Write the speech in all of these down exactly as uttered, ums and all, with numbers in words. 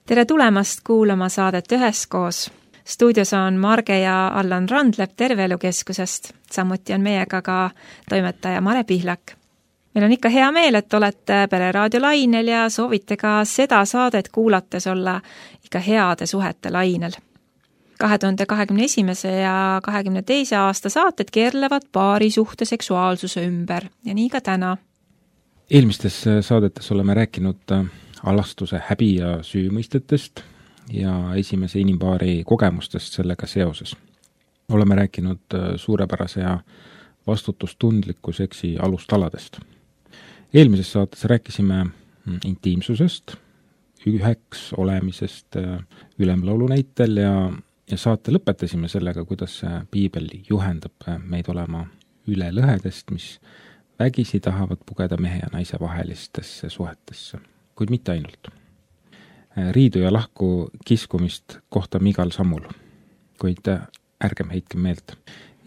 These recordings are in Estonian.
Tere tulemast kuulama saadet Üheskoos. Stuudios on Marge ja Allan Randlep Terveelukeskusest. Samuti on meiega ka toimetaja Mare Pihlak. Meil on ikka hea meel, et olete Pereraadio lainel ja soovite ka seda saadet kuulates olla ikka heade suhete lainel. kahe tuhande kahekümne esimese ja kahekümne teise aasta saated keerlevad paari suhte seksuaalsuse ümber ja nii ka täna. Eelmistes saadetes oleme rääkinud alastuse häbi- ja süümõistetest ja esimese inimpaari kogemustest sellega seoses. Oleme rääkinud suurepärase ja vastutustundliku seksi alustaladest. Eelmises saates rääkisime intiimsusest, üheks olemisest ülemlaulu näitel ja, ja saate lõpetasime sellega, kuidas piibel juhendab meid olema üle lõhedest, mis vägisi tahavad pugeda mehe ja naise vahelistesse suhetesse, kuid mitte ainult. Riidu ja lahku kiskumist kohtame igal sammul, kuid ärgem heitkem meelt.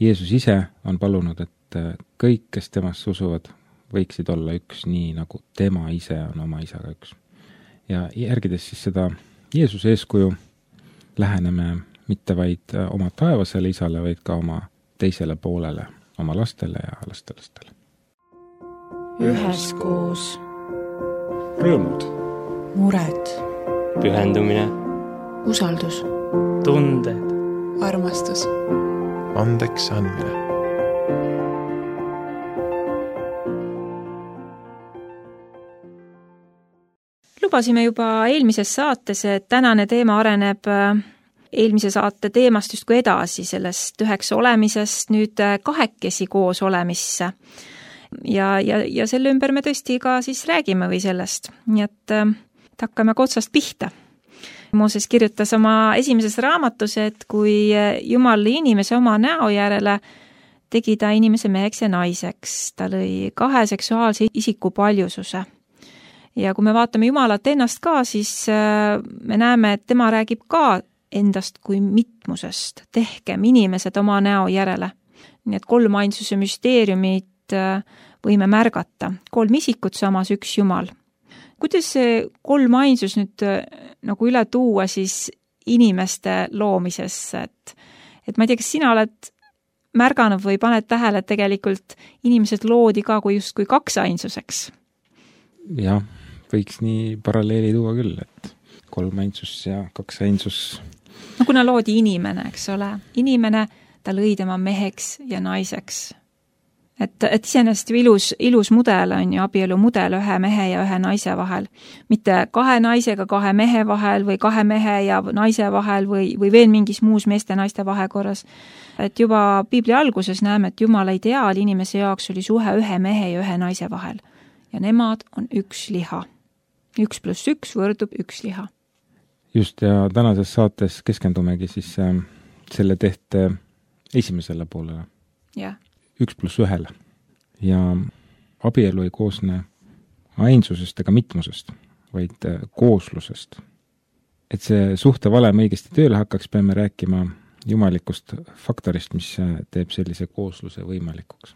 Jeesus ise on palunud, et kõik, kes temast usuvad, võiksid olla üks, nii nagu tema ise on oma isaga üks. Ja järgides siis seda Jeesuse eeskuju läheneme mitte vaid oma taevasele isale, vaid ka oma teisele poolele, oma lastele ja lastelastele. Üheskoos. Rõõmud. Mured. Pühendumine. Usaldus. Tunded. Armastus. Andeks andmine. Lubasime juba eelmises saates, et tänane teema areneb eelmise saate teemast justkui edasi, sellest üheks olemisest nüüd kahekesi koos olemisse. Ja, ja, ja selle ümber me tõesti ka siis räägime või sellest. Nii et äh, hakkame otsast pihta. Mooses kirjutas oma esimeses raamatus, et kui Jumal inimese oma näo järele tegi ta inimese meheks ja naiseks, ta lõi kahe seksuaalse isiku paljususe. Ja kui me vaatame Jumalat ennast ka, siis äh, me näeme, et tema räägib ka endast kui mitmusest. Tehkem inimesed oma näo järele. Nii et kolm ainsuse müsteeriumid võime märgata. Kolm isikut samas üks Jumal. Kuidas see kolm ainsus nüüd nagu üle tuua siis inimeste loomisesse? Et, et ma ei tea, kas sina oled märganud või paned tähele, et tegelikult inimesed loodi ka kui just kui kaks ainsuseks? Jah, võiks nii paralleeli tuua küll, et kolm ainsus ja kaks ainsus. No kuna loodi inimene, eks ole. Inimene, ta lõi tema meheks ja naiseks. Et, et iseenesest ilus, ilus mudel on ju abielu mudel ühe mehe ja ühe naise vahel. Mitte kahe naisega kahe mehe vahel või kahe mehe ja naise vahel või, või veel mingis muus meeste naiste vahekorras. Et juba Piibli alguses näeme, et Jumala ideaal inimese jaoks oli suhe ühe mehe ja ühe naise vahel. Ja nemad on üks liha. Üks pluss üks võrdub üks liha. Just, ja tänases saates keskendumegi siis äh, selle tehte esimesele poolele. Jah. Üks pluss ühele. Ja abielu ei koosne ainsusest ega mitmusest, vaid kooslusest. Et see suhte valem õigesti tööle hakkaks, peame rääkima jumalikust faktorist, mis teeb sellise koosluse võimalikuks.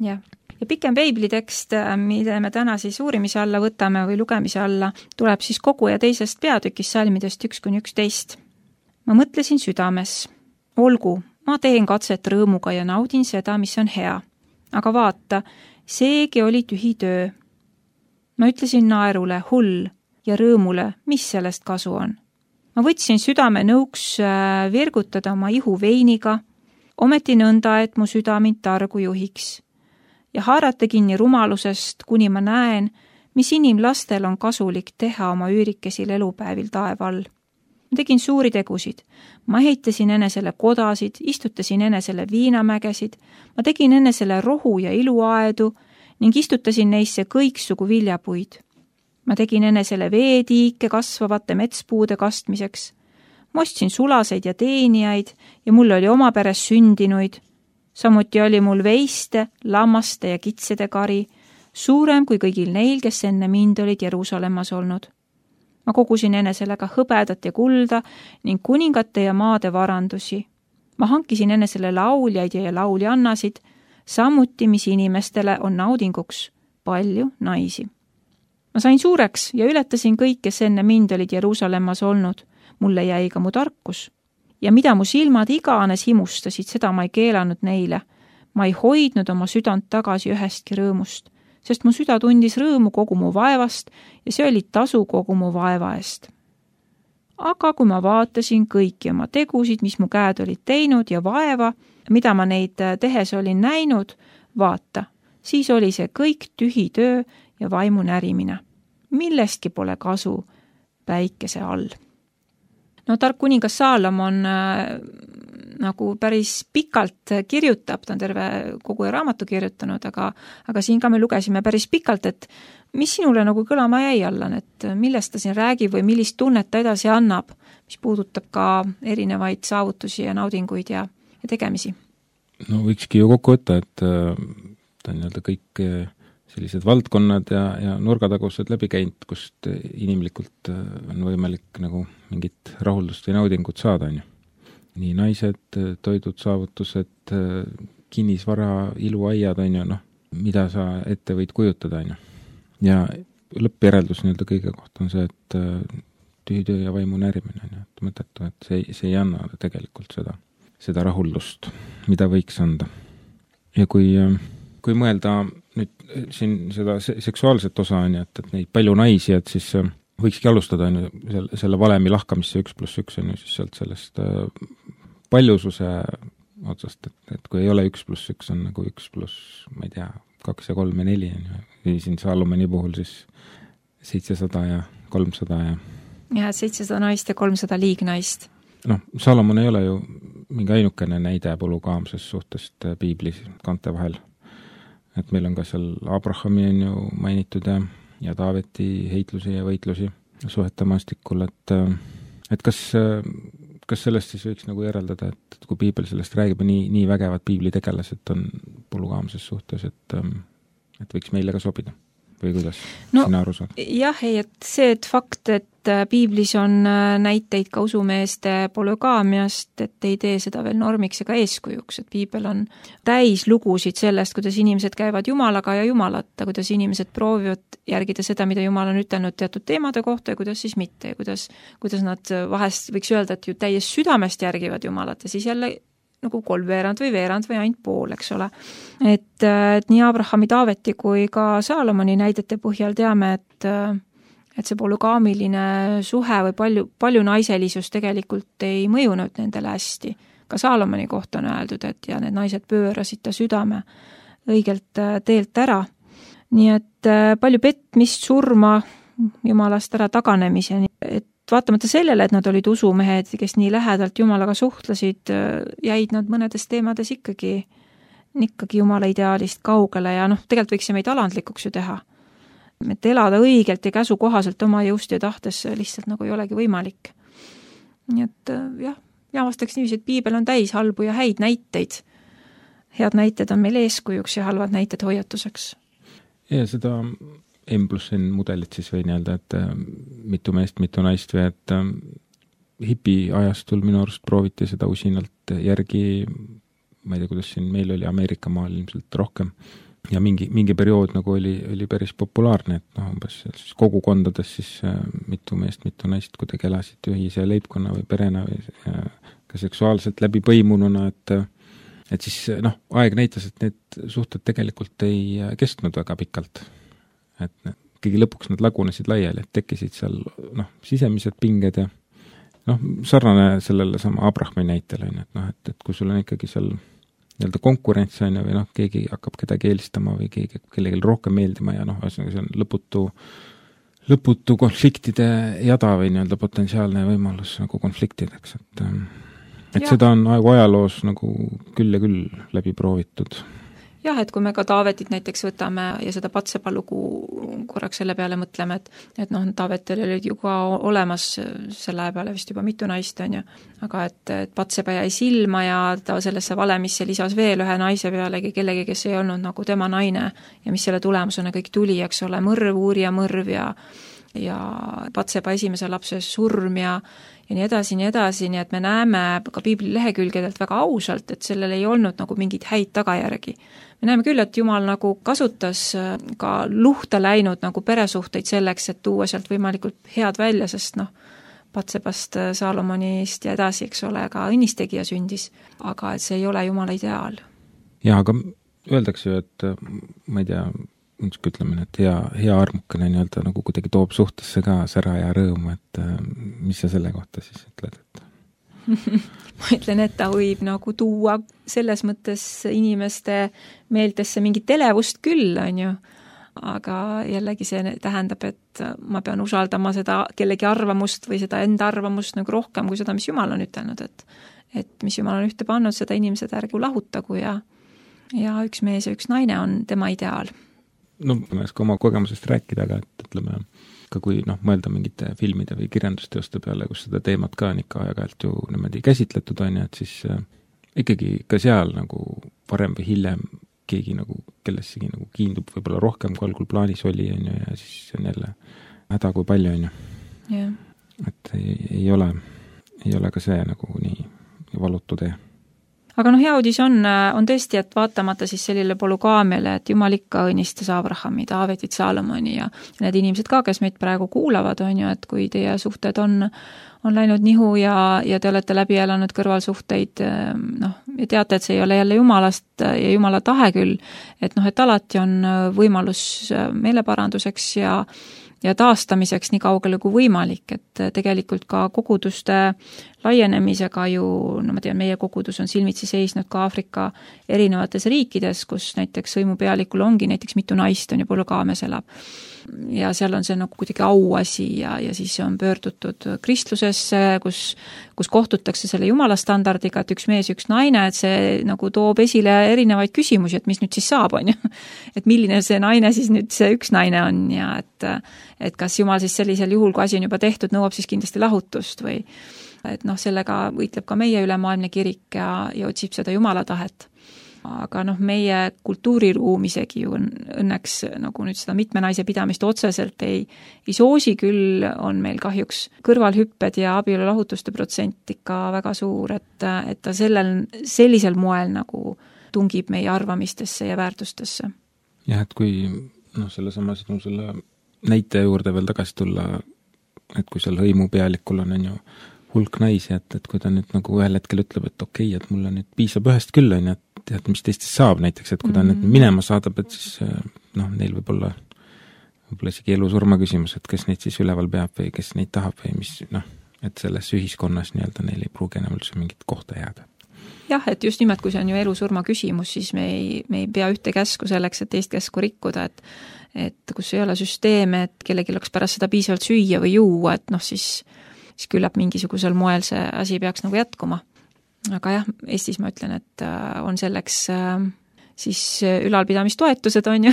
Jah. Ja pikem Piiblitekst, mida me täna siis uurimise alla võtame või lugemise alla, tuleb siis kogu ja teisest peatükist salmidest üks kuni üksteist. Ma mõtlesin südames. Olgu, ma teen katset rõõmuga ja naudin seda, mis on hea. Aga vaata, seegi oli tühi töö. Ma ütlesin naerule, hull ja rõõmule, mis sellest kasu on. Ma võtsin südame nõuks virgutada oma ihu veiniga, ometi nõnda, et mu süda mind targu juhiks. Ja haarata kinni rumalusest, kuni ma näen, mis inimlastel on kasulik teha oma üürikesil elupäevil taeva all. Ma tegin suuri tegusid. Ma ehitasin enesele kodasid, istutasin enesele viinamägesid, ma tegin enesele rohu ja iluaedu ning istutasin neisse kõiksugu viljapuid. Ma tegin enesele veetiike kasvavate metspuude kastmiseks. Ma ostsin sulaseid ja teenijaid ja mul oli oma peres sündinuid. Samuti oli mul veiste, lammaste ja kitsede kari, suurem kui kõigil neil, kes enne mind olid Jeruusalemmas olnud. Ma kogusin enesele ka hõbedat ja kulda ning kuningate ja maade varandusi. Ma hankisin enesele lauljaid ja lauljannasid, samuti mis inimestele on naudinguks palju naisi. Ma sain suureks ja ületasin kõik, kes enne mind olid Jeruusalemmas olnud. Mulle jäi ka mu tarkus. Ja mida mu silmad igaanes himustasid, seda ma ei keelanud neile. Ma ei hoidnud oma südant tagasi ühestki rõõmust, sest mu süda tundis rõõmu kogu mu vaevast ja see oli tasu kogu mu vaeva eest. Aga kui ma vaatasin kõiki oma tegusid, mis mu käed olid teinud ja vaeva, mida ma neid tehes olin näinud, vaata, siis oli see kõik tühi töö ja vaimu närimine. Millestki pole kasu päikese all. No tark kuningas Saalomon äh, nagu päris pikalt kirjutab, ta on terve kogu raamatu kirjutanud, aga, aga siin ka me lugesime päris pikalt, et mis sinule nagu kõlama jäi, Allan, et millest ta siin räägib või millist tunnet ta edasi annab, mis puudutab ka erinevaid saavutusi ja naudinguid ja, ja tegemisi? No võikski ju kokku võtta, et äh, ta on nii-öelda kõik äh, sellised valdkonnad ja, ja nurgatagused läbi käinud, kust inimlikult äh, on võimalik nagu mingit rahuldust või naudingut saada, on ju. Nii naised, toidud, saavutused, äh, kinnisvara, iluaiad, on ju, noh, mida sa ette võid kujutada, on ju. Ja lõppjäreldus nii-öelda kõige kohta on see, et äh, tühitöö ja vaimu närimine, on ju, et mõtetu, et see, see ei anna tegelikult seda, seda rahuldust, mida võiks anda. Ja kui, kui mõelda nüüd siin seda seksuaalset osa on ju, et, et neid palju naisi, et siis võikski alustada on ju selle, selle valemi lahkamisse üks pluss üks on ju siis sealt sellest paljususe otsast, et, et kui ei ole üks pluss üks on nagu üks pluss, ma ei tea, kaks ja kolm ja neli on ju, või siin Saalomoni puhul siis seitsesada ja kolmsada ja ja seitsesada naist ja kolmsada liignaist. Noh, Saalomon ei ole ju mingi ainukene näide polügaamsest suhtest piiblis kante vahel. Et meil on ka seal Abrahami on ju mainitud ja, ja Taaveti heitlusi ja võitlusi suhete maastikul, et, et kas, kas sellest siis võiks nagu järeldada, et, et kui piibel sellest räägib, nii, nii vägevad piiblitegelased on polügaamses suhtes, et, et võiks meile ka sobida? Või kuidas no, sina aru saad? Jah, ei, et see, et fakt, et piiblis on näiteid ka usumeeste polügaamiast, et ei tee seda veel normiks ega eeskujuks, et piibel on täis lugusid sellest, kuidas inimesed käivad Jumalaga ja Jumalata, kuidas inimesed proovivad järgida seda, mida Jumal on ütelnud teatud teemade kohta ja kuidas siis mitte ja kuidas, kuidas nad vahest võiks öelda, et ju täies südamest järgivad Jumalat ja siis jälle nagu kolmveerand või veerand või ainult pool, eks ole. Et, et nii Abrahami, Taaveti kui ka Saalomoni näidete põhjal teame, et, et see polügaamiline suhe või palju, palju naiselisus tegelikult ei mõjunud nendele hästi. Ka Saalomoni kohta on öeldud, et ja need naised pöörasid ta südame õigelt teelt ära. Nii et palju petmist, surma, Jumalast ära taganemiseni, et vaatamata sellele, et nad olid usumehed, kes nii lähedalt Jumalaga suhtlesid, jäid nad mõnedes teemades ikkagi, ikkagi Jumala ideaalist kaugele ja noh, tegelikult võiks see meid alandlikuks ju teha. Et elada õigelt ja käsu kohaselt oma jõust ja tahtes lihtsalt nagu ei olegi võimalik. Nii et jah, ja vastaks niiviisi, et piibel on täis halbu ja häid näiteid. Head näited on meil eeskujuks ja halvad näited hoiatuseks. Ja seda M pluss N mudelit siis või nii-öelda, et mitu meest, mitu naist või et hipi ajastul minu arust prooviti seda usinalt järgi, ma ei tea, kuidas siin meil oli Ameerika maal ilmselt rohkem ja mingi, mingi periood nagu oli, oli päris populaarne, et noh, umbes siis kogukondades siis mitu meest, mitu naist kuidagi elasid ühise leibkonna või perena või ka seksuaalselt läbi põimununa, et et siis noh, aeg näitas, et need suhted tegelikult ei kestnud väga pikalt. Et kõigi lõpuks nad lagunesid laiali, et tekkisid seal noh, sisemised pinged ja noh, sarnane sellele sama Abrahami näitele, et noh, et, et kui sul on ikkagi seal nii-öelda konkurents on või noh, keegi hakkab kedagi eelistama või keegi, kellegi rohkem meeldima ja noh, see on lõputu, lõputu konfliktide jada või nii-öelda potentsiaalne võimalus nagu konfliktideks, et, et seda on ajaloos nagu küll ja küll läbi proovitud. Jah, et kui me ka Taavetit näiteks võtame ja seda Patsepa lugu korraks selle peale mõtleme, et, et noh, Taavetel olid ju ka olemas selle aja peale vist juba mitu naist on ju, aga et, et Patsepa jäi silma ja ta sellesse valemisse lisas veel ühe naise pealegi kellegi, kes ei olnud nagu tema naine ja mis selle tulemusena kõik tuli, eks ole, mõrv, uurija mõrv ja ja Patseba esimese lapse surm ja ja nii edasi, nii edasi, nii et me näeme ka piibli lehekülgedelt väga ausalt, et sellel ei olnud nagu mingeid häid tagajärgi. Me näeme küll, et Jumal nagu kasutas ka luhta läinud nagu peresuhteid selleks, et tuua sealt võimalikult head välja, sest noh, Patsebast, Saalomonist ja edasi, eks ole, ka õnnistegija sündis, aga et see ei ole Jumala ideaal. Jaa, aga öeldakse ju, et ma ei tea, ütleme, et hea, hea armukene nii-öelda nagu kuidagi toob suhtesse ka sära ja rõõmu, et mis sa selle kohta siis ütled? Et... ma ütlen, et ta võib nagu tuua selles mõttes inimeste meeltesse mingit elevust küll, on ju, aga jällegi see tähendab, et ma pean usaldama seda kellegi arvamust või seda enda arvamust nagu rohkem kui seda, mis Jumal on ütelnud, et, et mis Jumal on ühte pannud, seda inimesed ärgu lahutagu ja, ja üks mees ja üks naine on tema ideaal. No ma ei oska oma kogemusest rääkida, aga et ütleme, ka kui noh, mõelda mingite filmide või kirjandusteoste peale, kus seda teemat ka on ikka aeg-ajalt ju niimoodi käsitletud on ja et siis äh, ikkagi ka seal nagu varem või hiljem keegi nagu kellessegi nagu kiindub võib-olla rohkem, kui algul plaanis oli on ju, ja siis on jälle häda kui palju on ju. Yeah. Et ei, ei ole, ei ole ka see nagu nii valutu tee. Aga noh, hea uudis on, on tõesti, et vaatamata siis sellile polügaamiale, et Jumal ikka õnnistas Abrahami, Taavetit, Saalomoni ja need inimesed ka, kes meid praegu kuulavad, on ju, et kui teie suhted on, on läinud nihu ja, ja te olete läbi elanud kõrvalsuhteid, noh, ja teate, et see ei ole jälle Jumalast ja Jumala tahe küll, et noh, et alati on võimalus meeleparanduseks ja ja taastamiseks nii kaugele kui võimalik, et tegelikult ka koguduste laienemisega ju, no ma tean, meie kogudus on silmitsi seisnud ka Aafrika erinevates riikides, kus näiteks sõimupealikul ongi näiteks mitu naist on ju polügaamias elab. Ja seal on see nagu kuidagi auasi ja, ja siis on pöördutud kristlusesse, kus, kus kohtutakse selle Jumala standardiga, et üks mees, üks naine, et see nagu toob esile erinevaid küsimusi, et mis nüüd siis saab, on ju. Et milline see naine siis nüüd see üks naine on ja et, et kas Jumal siis sellisel juhul, kui asi on juba tehtud, nõuab siis kindlasti lahutust või et noh, sellega võitleb ka meie ülemaailmne kirik ja, ja otsib seda Jumala tahet. Aga noh, meie kultuuriruum isegi ju õnneks nagu nüüd seda mitme naise pidamist otseselt ei, ei soosi, küll on meil kahjuks kõrvalhüpped ja abielulahutuste protsent ikka väga suur, et, et ta sellel, sellisel moel nagu tungib meie arvamistesse ja väärtustesse. Jah, et kui noh, selle sama sinu selle näite juurde veel tagasi tulla, et kui seal hõimupealikul on, on ju hulk naisi, et, et kui ta nüüd nagu ühel hetkel ütleb, et okei, okay, et mulle nüüd piisab ühest küll, on ju, et tead, mis teistest saab näiteks, et kui ta mm-hmm. nüüd minema saadab, et siis noh, neil võib olla võib-olla isegi elu-surma küsimus, et kes neid siis üleval peab või kes neid tahab või mis, noh, et selles ühiskonnas nii-öelda neil ei pruugi enam üldse mingit kohta jääda. Jah, et just nimelt, kui see on ju elu-surma küsimus, siis me ei, me ei pea ühte käsku selleks, et teist käsku rikkuda, et et kus ei ole süsteeme, et kellelgi oleks pärast seda piisavalt süüa või juua, et noh, siis, siis küllap mingisugusel moel see asi peaks nagu jätkuma. Aga jah, Eestis ma ütlen, et on selleks siis ülalpidamistoetused on ju,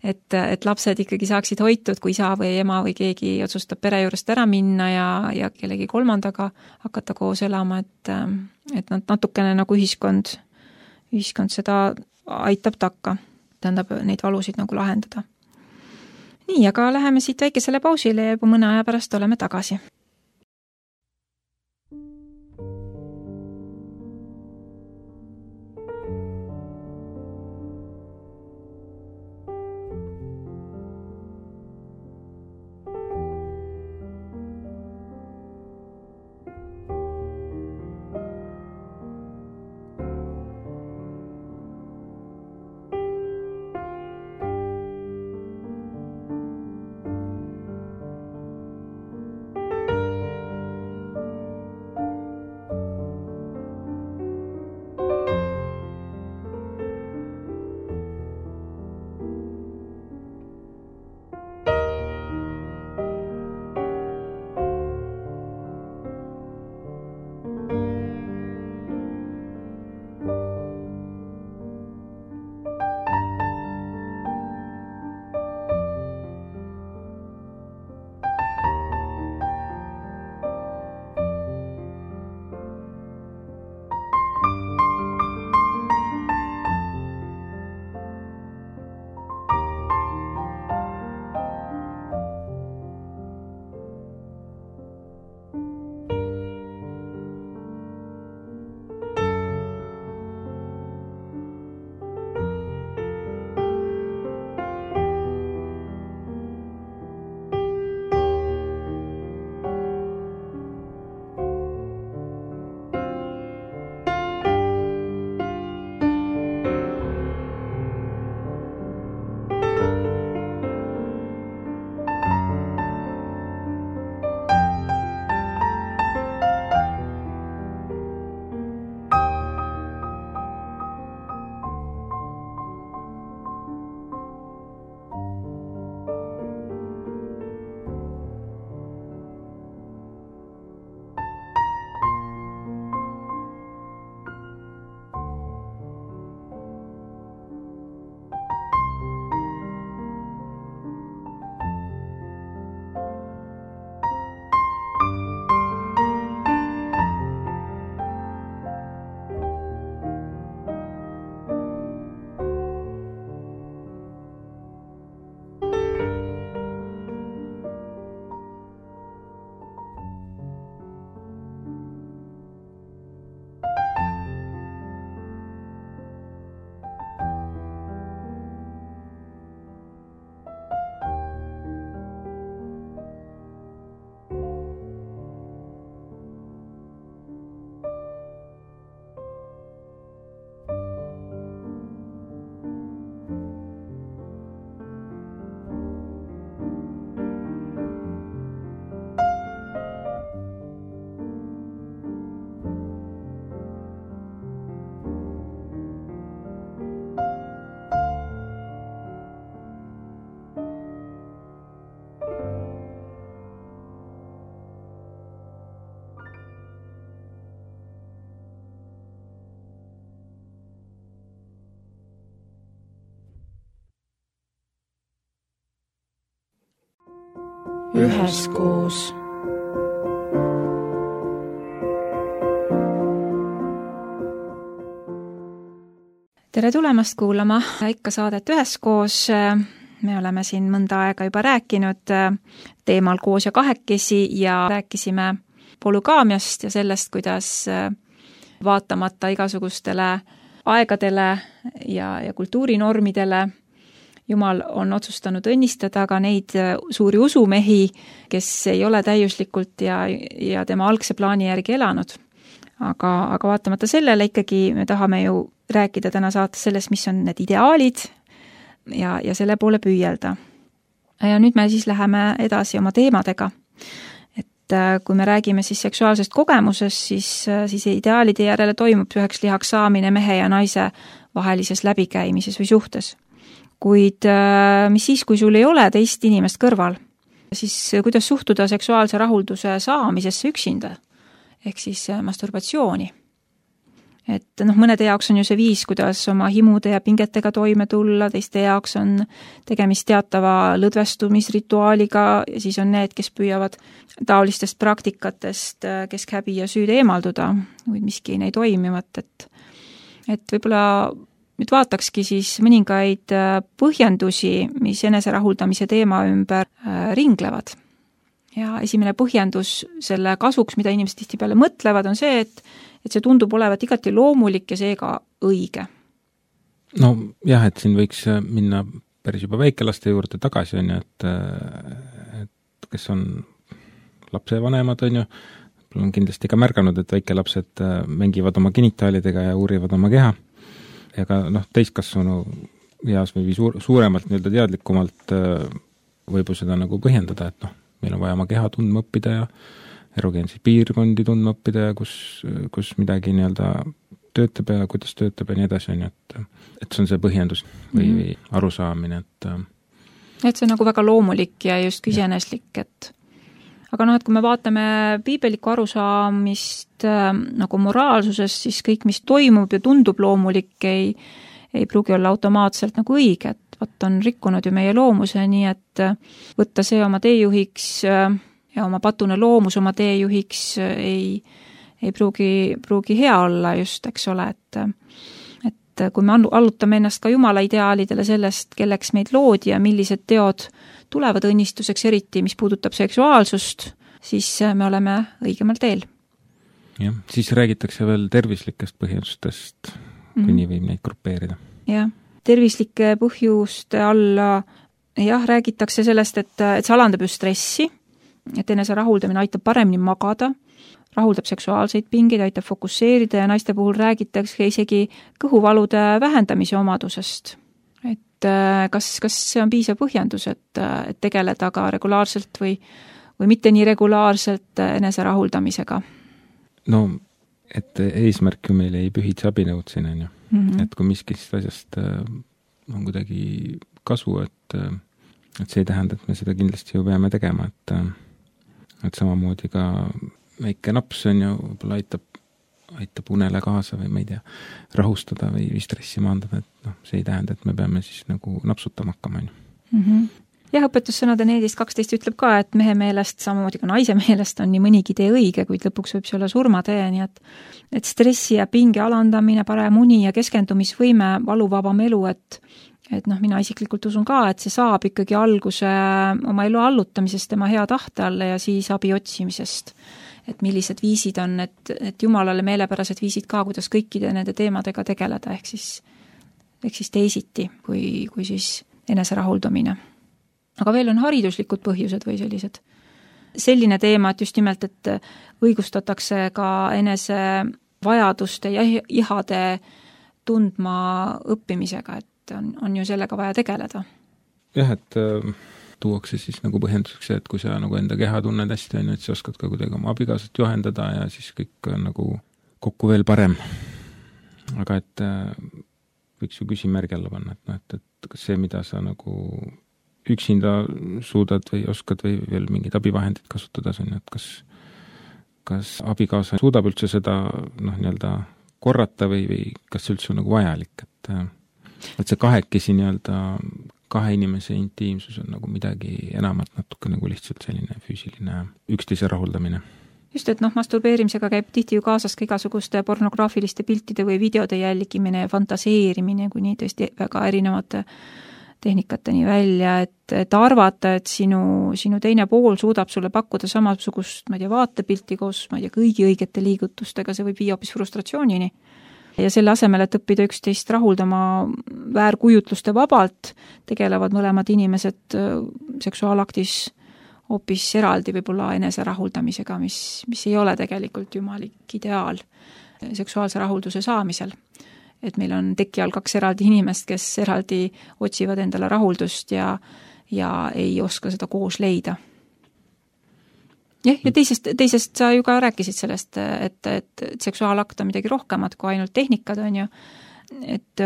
et, et lapsed ikkagi saaksid hoitud, kui isa või ema või keegi otsustab pere juurest ära minna ja, ja kellegi kolmandaga hakata koos elama, et, et nad natukene nagu ühiskond, ühiskond seda aitab takka, tähendab neid valusid nagu lahendada. Nii, aga läheme siit väikesele pausile ja juba mõne aja pärast oleme tagasi. üheskoos. Tere tulemast kuulama ikka saadet üheskoos. Me oleme siin mõnda aega juba rääkinud teemal koos ja kahekesi ja rääkisime polügaamiast ja sellest, kuidas vaatamata igasugustele aegadele ja, ja kultuurinormidele Jumal on otsustanud õnnistada ka neid suuri usumehi, kes ei ole täiuslikult ja, ja tema algse plaani järgi elanud. Aga, aga vaatamata sellele ikkagi me tahame ju rääkida täna saates sellest, mis on need ideaalid ja, ja selle poole püüelda. Ja nüüd me siis läheme edasi oma teemadega. Et kui me räägime siis seksuaalsest kogemusest, siis, siis ideaalide järele toimub üheks lihaks saamine mehe ja naise vahelises läbikäimises või suhtes. Kuid mis siis, kui sul ei ole teist inimest kõrval, siis kuidas suhtuda seksuaalse rahulduse saamisesse üksinda? Ehk siis masturbatsiooni. Et noh, mõnede jaoks on ju see viis, kuidas oma himude ja pingetega toime tulla, teiste jaoks on tegemist teatava lõdvestumisrituaaliga ja siis on need, kes püüavad taolistest praktikatest keskhäbi ja süüd eemalduda, või miski ei toimivat, et, et võib-olla nüüd vaatakski siis mõningaid põhjendusi, mis eneserahuldamise teema ümber ringlevad. Ja esimene põhjendus selle kasuks, mida inimesed tihtipeale mõtlevad, on see, et, et see tundub olevat igati loomulik ja seega õige. No jah, et siin võiks minna päris juba väikelaste juurde tagasi, on ju, et, et kes on lapsevanemad, on ju, on kindlasti ka märganud, et väikelapsed mängivad oma genitaalidega ja uurivad oma keha. Ja ka noh, täiskasvanu heas või suur, suuremalt nii-öelda teadlikumalt võib ju seda nagu põhjendada, et noh, meil on vaja oma keha tundma õppida ja erogeenseid piirkondi tundma õppida ja kus, kus midagi nii-öelda töötab ja kuidas töötab ja nii edasi, on ju, et, et see on see põhjendus või, mm-hmm. või arusaamine, et et see on nagu väga loomulik ja just iseeneslik, et aga noh, et kui me vaatame piibelikku arusaamist äh, nagu moraalsusest, siis kõik, mis toimub ja tundub loomulik, ei, ei pruugi olla automaatselt nagu õige, et võt on rikkunud ju meie loomuse, nii et võtta see oma teejuhiks ja oma patune loomus oma teejuhiks ei, ei pruugi, pruugi hea olla just, eks ole, et, et kui me allutame ennast ka Jumala ideaalidele sellest, kelleks meid loodi ja millised teod tulevad õnnistuseks, eriti mis puudutab seksuaalsust, siis me oleme õigemal teel. Jah, siis räägitakse veel tervislikest põhjustest, kui mm-hmm. nii võib neid grupeerida. Jah. Tervislike põhjuste alla jah, räägitakse sellest, et, et see alandab ju stressi, et enese rahuldamine aitab paremini magada, rahuldab seksuaalseid pingeid, aitab fokusseerida ja naiste puhul räägitakse isegi kõhuvalude vähendamise omadusest. Et kas, kas see on piisav põhjendus, et, et tegeleda ka regulaarselt või, või mitte nii regulaarselt enese rahuldamisega? No, et eesmärk ju meil ei pühitse abinõud siin, on ju. Mm-hmm. Et kui miskist asjast on kuidagi kasu, et, et see ei tähenda, et me seda kindlasti ju peame tegema, et, et samamoodi ka väike naps on ju, võib-olla aitab, aitab unele kaasa või ma ei tea, rahustada või, või stressi maandada, et noh, see ei tähenda, et me peame siis nagu napsutama hakkama, on ju. Mm-hmm. Jah, õpetussõnade needist kaksteist ütleb ka, et mehe meelest, samamoodi ka naise meelest on nii mõnigi tee õige, kuid lõpuks võib see olla surmatee, nii et, et stressi ja pinge alandamine, parem uni ja keskendumisvõime, valuvabam elu, et, et noh, mina isiklikult usun ka, et see saab ikkagi alguse oma elu allutamisest tema hea tahte alla ja siis abi otsimisest. Et millised viisid on, et, et Jumalale meelepärased viisid ka, kuidas kõikide nende teemadega tegeleda, ehk siis, ehk siis teisiti, kui, kui siis enese rahuldamine. Aga veel on hariduslikud põhjused või sellised. Selline teema, et just nimelt, et õigustatakse ka enese vajaduste ja ihade tundma õppimisega, et on, on ju sellega vaja tegeleda. Jah, et äh, tuuakse siis nagu põhjenduseks, et kui sa nagu enda keha tunned hästi, et sa oskad ka kuidagi oma abikaasat juhendada ja siis kõik on nagu kokku veel parem. Aga et äh, võiks ju küsimärgi alla panna, et, no, et, et kas see, mida sa nagu üksinda suudad või oskad või veel mingid abivahendid kasutada, et kas, kas abikaasa suudab üldse seda noh, nii-öelda korrata või, või kas see üldse on nagu vajalik, et, et see kahekesi nii-öelda kahe inimese intiimsus on nagu midagi enamat natuke nagu lihtsalt selline füüsiline üksteise rahuldamine. Just, et noh, masturbeerimisega käib tihti ju kaasas ka igasuguste pornograafiliste piltide või videode jälgimine ja fantaseerimine, kuni tõesti väga erinevate tehnikateni välja, et, et arvata, et sinu, sinu teine pool suudab sulle pakkuda samasugust, ma ei tea, vaatepilti koos, ma ei tea, kõigi õigete liigutustega, see võib viia hoopis frustratsioonini. Ja selle asemel, et õppida üksteist rahuldama väärkujutluste vabalt, tegelevad mõlemad inimesed seksuaalaktis hoopis eraldi võib-olla enese rahuldamisega, mis, mis ei ole tegelikult jumalik ideaal seksuaalse rahulduse saamisel. Et meil on teki all kaks eraldi inimest, kes eraldi otsivad endale rahuldust ja, ja ei oska seda koos leida. Ja, ja teisest, teisest sa ju ka rääkisid sellest, et, et, et seksuaalakt on midagi rohkemat kui ainult tehnikad, on ju. Et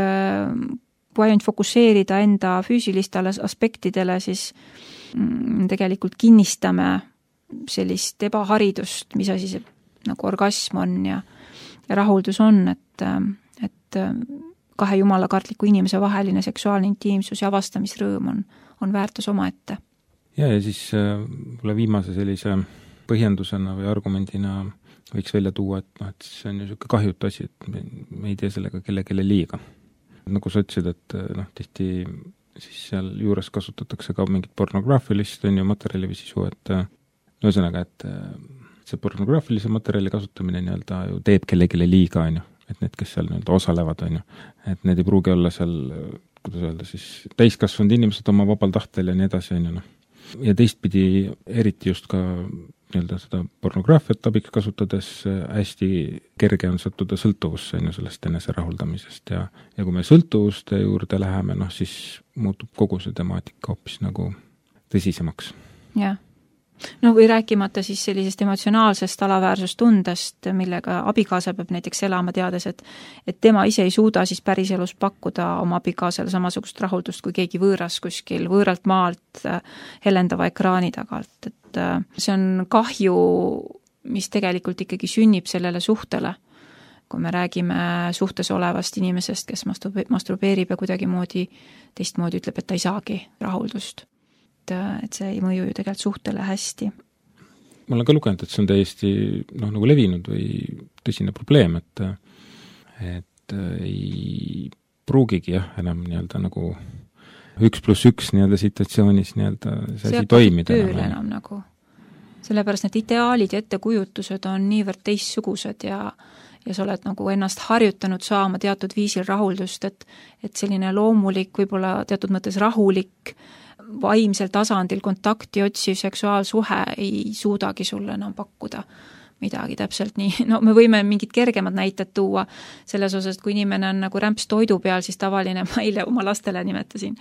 kui ainult fokusseerida enda füüsilistele aspektidele, siis tegelikult kinnistame sellist ebaharidust, mis asi see nagu orgasm on ja, ja rahuldus on, et et kahe jumalakartliku inimese vaheline seksuaalne intiimsus ja avastamisrõõm on, on väärtus omaette. Ja, ja siis äh, viimase sellise põhjendusena või argumendina võiks välja tuua, et, no, et see on ju niisugune kahjutu asi, et me, me ei tee sellega kellelegi liiga. Nagu sa ütlesid, et noh, tihti siis seal juures kasutatakse ka mingit pornograafilist on ju materjali või sisu, et no ühesõnaga, et see pornograafilise materjali kasutamine nii-öelda ju teeb kellelegi liiga, on ju. Et need, kes seal nii-öelda osalevad, on ju, et need ei pruugi olla seal, kuidas öelda, siis täiskasvanud inimesed oma vabal tahtel ja nii edasi, on ju, noh. Ja teistpidi eriti just ka nii-öelda seda pornograafiat abiks kasutades hästi kerge on sattuda sõltuvusse, on ju, sellest enese rahuldamisest ja, ja kui me sõltuvuste juurde läheme, noh, siis muutub kogu see temaatika hoopis nagu tõsisemaks. Jah. No või rääkimata siis sellisest emotsionaalsest alaväärsustundest, millega abikaasa peab näiteks elama teades, et, et tema ise ei suuda siis päriselus pakkuda oma abikaasale samasugust rahuldust kui keegi võõras kuskil võõralt maalt helendava ekraani tagalt. Et see on kahju, mis tegelikult ikkagi sünnib sellele suhtele. Kui me räägime suhtes olevast inimesest, kes masturbeerib ja kuidagi moodi, teistmoodi ütleb, et ta ei saagi rahuldust. Et see ei mõju ju tegelikult suhtele hästi. Ma olen ka lugenud, et see on täiesti noh, nagu levinud või tõsine probleem, et, et ei pruugigi jah, enam nii-öelda nagu üks pluss üks nii-öelda situatsioonis nii-öelda see asi toimida. See tööl enam nagu. Sellepärast need ideaalid ja ettekujutused on niivõrd teistsugused ja ja sa oled nagu ennast harjutanud saama teatud viisil rahuldust, et, et selline loomulik, võib-olla teatud mõttes rahulik, vaimsel tasandil kontakti otsiv seksuaalsuhe ei suudagi sulle enam pakkuda midagi täpselt nii. No me võime mingid kergemad näited tuua selles osas, et kui inimene on nagu rämps toidu peal, siis tavaline, ma eile oma lastele nimetasin,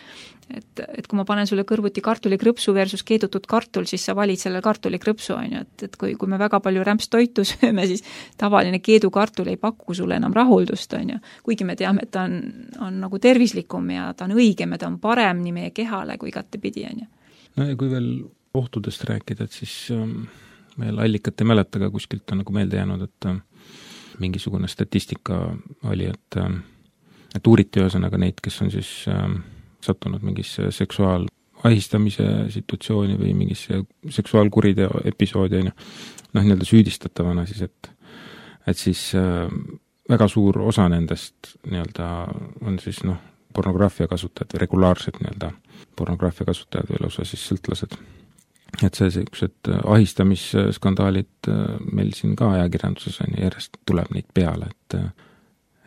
et, et kui ma panen sulle kõrvuti kartulikrõpsu versus keedutud kartul, siis sa valid selle kartulikrõpsu, on ju, et, et kui, kui me väga palju rämps toitu sööme, siis tavaline keedukartul ei paku sulle enam rahuldust, on ju. Kuigi me teame, et ta on, on nagu tervislikum ja ta on õigem ja ta on parem nii meie kehale kui igatepidi, on ju. No ja kui veel ohtudest rääkida, et siis ähm... meil allikat ei mäleta, aga kuskilt on nagu meelde jäänud, et mingisugune statistika oli, et, et uuriti ühesõnaga neid, kes on siis äh, sattunud mingisse seksuaalahistamise situatsiooni või mingisse seksuaalkuriteo episoodi, noh, nii-öelda süüdistatavana siis, et, et siis äh, väga suur osa nendest nii-öelda on siis noh, pornograafia kasutajad või regulaarsed nii-öelda pornograafia kasutajad või lausa siis sõltlased. Et see sellised ahistamisskandaalid meil siin ka ajakirjanduses on ja järjest tuleb neid peale, et,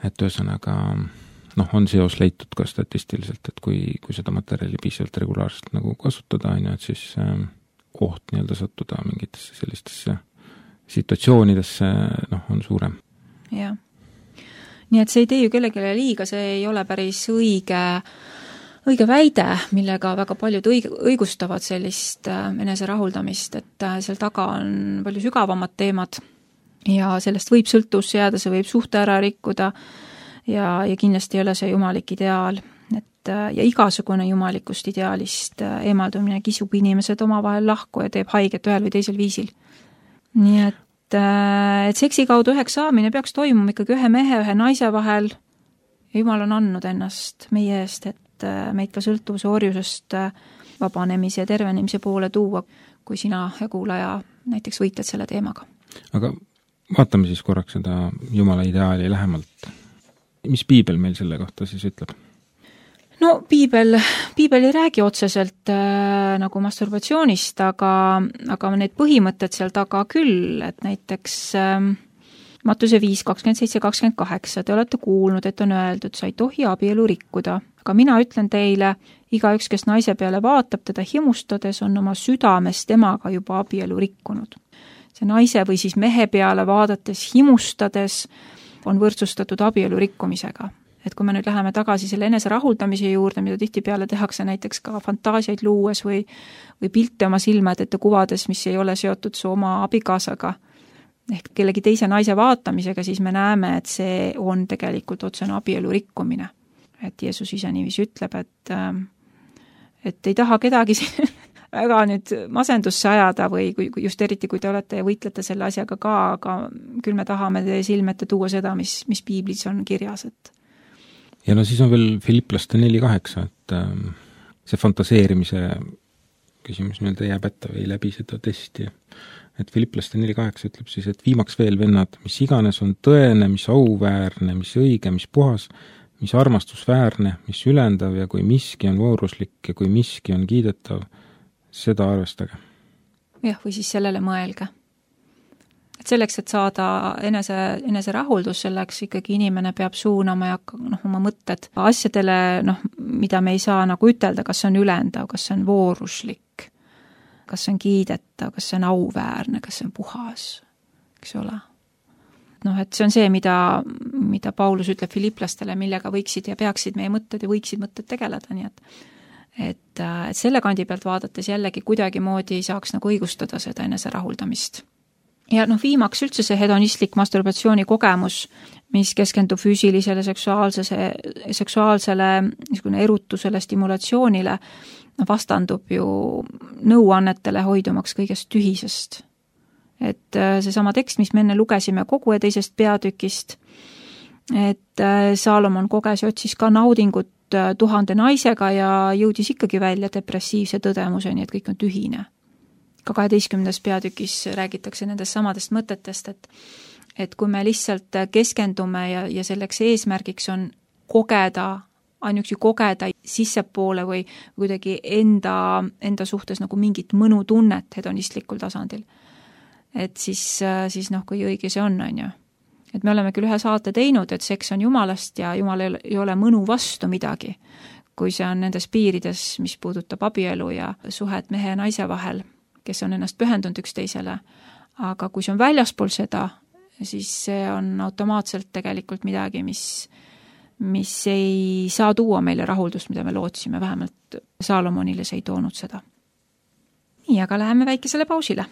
et ühesõnaga noh, on seos leitud ka statistiliselt, et kui, kui seda materjali piisavalt regulaarselt nagu kasutada, on ju, et siis oht nii-öelda sattuda mingitesse sellistesse situatsioonidesse noh, on suurem. Jah. Nii et see ei tee ju kellelegi liiga, see ei ole päris õige õige väide, millega väga paljud õig- õigustavad sellist enese rahuldamist, et seal taga on palju sügavamad teemad ja sellest võib sõltus jääda, see võib suhte ära rikkuda ja, ja kindlasti ei ole see jumalik ideaal. Et, ja igasugune jumalikust ideaalist eemaldumine kisub inimesed omavahel lahku ja teeb haiget ühel või teisel viisil. Nii et, et seksi kaudu üheks saamine peaks toimuma ikkagi ühe mehe, ühe naise vahel ja Jumal on andnud ennast meie eest, et meid ka sõltuvuse orjusest vabanemise ja tervenemise poole tuua, kui sina ja kuulaja näiteks võitled selle teemaga. Aga vaatame siis korraks seda Jumala ideaali lähemalt. Mis piibel meil selle kohta siis ütleb? No piibel, piibel ei räägi otseselt äh, nagu masturbatsioonist, aga, aga need põhimõtted seal taga küll, et näiteks äh, Matuse viis, kakskümmend seitse, kakskümmend kaheksa, te olete kuulnud, et on öeldud, sa ei tohi abielu rikkuda. Aga mina ütlen teile, igaüks, kes naise peale vaatab, teda himustades, on oma südames temaga juba abielu rikkunud. See naise või siis mehe peale vaadates, himustades, on võrdsustatud abielu rikkumisega. Et kui me nüüd läheme tagasi selle enese rahuldamise juurde, mida tihtipeale tehakse näiteks ka fantaasiaid luues või, või pilte oma silmad ette kuvades, mis ei ole seotud su oma abikaasaga, ehk kellegi teise naise vaatamisega, siis me näeme, et see on tegelikult otsene abielu rikkumine. Et Jeesus ise niiviisi ütleb, et, et ei taha kedagi väga nüüd masendusse ajada või kui, just eriti, kui te olete ja võitlete selle asjaga ka, aga küll me tahame teie silmete tuua seda, mis, mis piiblis on kirjas. Et... Ja no siis on veel Filipplaste neli kaheksa, et see fantaseerimise küsimus nii-öelda jääb ette või läbi seda testi. Et Filipplaste neli kaheksa ütleb siis, et viimaks veel vennad, mis iganes on tõene, mis auväärne, mis õige, mis puhas, mis armastusväärne, mis ülendav ja kui miski on vooruslik ja kui miski on kiidetav, seda arvestage. Jah, või siis sellele mõelge. Et selleks, et saada enese, enese rahuldus, selleks ikkagi inimene peab suunama ja noh, oma mõtted asjadele, noh, mida me ei saa nagu ütelda, kas see on ülendav, kas see on vooruslik, kas see on kiidetav, kas see on auväärne, kas see on puhas, eks ole. Noh, et see on see, mida, mida Paulus ütleb filiplastele, millega võiksid ja peaksid meie mõtted ja võiksid mõtted tegeleda, nii et et, et selle kandi pealt vaadates jällegi kuidagi moodi ei saaks nagu õigustada seda enese rahuldamist. Ja noh, viimaks üldse see hedonistlik masturbatsiooni kogemus, mis keskendub füüsilisele, seksuaalsele, seksuaalsele niisugune erutusele, stimulatsioonile, vastandub ju nõuannetele hoidumaks kõigest tühisest. Et seesama tekst, mis me enne lugesime kogu ja teisest peatükist, et Saalomon koges ja otsis ka naudingut tuhande naisega ja jõudis ikkagi välja depressiivse tõdemuseni, et kõik on tühine. Ka kaheteistkümnes peatükis räägitakse nendest samadest mõtetest, et, et kui me lihtsalt keskendume ja, ja selleks eesmärgiks on kogeda, ainuüksi kogeda sissepoole või kuidagi enda, enda suhtes nagu mingit mõnutunnet hedonistlikul tasandil, et siis, siis noh, kui õige see on, on ju. Et me oleme küll ühe saate teinud, et seks on Jumalast ja Jumal ei ole mõnu vastu midagi, kui see on nendes piirides, mis puudutab abielu ja suhet mehe ja naise vahel, kes on ennast pühendunud üksteisele. Aga kui see on väljaspool seda, siis see on automaatselt tegelikult midagi, mis, mis ei saa tuua meile rahuldust, mida me lootsime, vähemalt Saalomonile see ei toonud seda. Nii, aga läheme väikesele pausile.